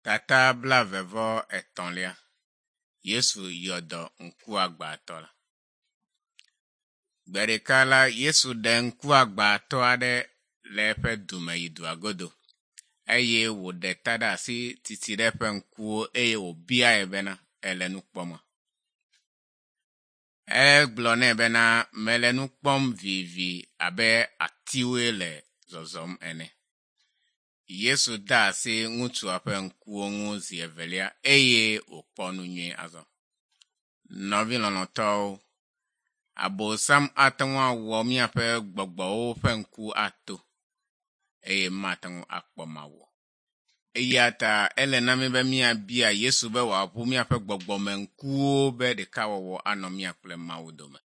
Tata blaeve-vɔ-etɔ̃lia. Yesu yɔ dɔ ŋkuagbãtɔ la. Gbe ɖeka la, Yesu ɖe ŋkuagbãtɔ aɖe le eƒe du me yi dua godo eye wòɖe ta ɖe asi titi ɖe eƒe ŋkuwo eye wòbiae bena, ele nu kpɔma? Egblɔ nɛ bena, mele nu kpɔm vivi abe atiwoe le zɔzɔm ene. Yesu de asi ŋutsua ƒe ŋkuwo ŋu zi evelia eye wòkpɔ nu nyuie azɔ. Nɔvi lɔlɔ̃tɔwo, Abosam ate ŋu awɔ míaƒe gbɔgbɔwo ƒe ŋku ato eye mate ŋu akpɔ Mawu o. Eya ta ele na mí be míabia Yesu be wòaʋu míaƒe gbɔgbɔmeŋkuwo be ɖekawɔwɔ anɔ mía kple Mawu dome.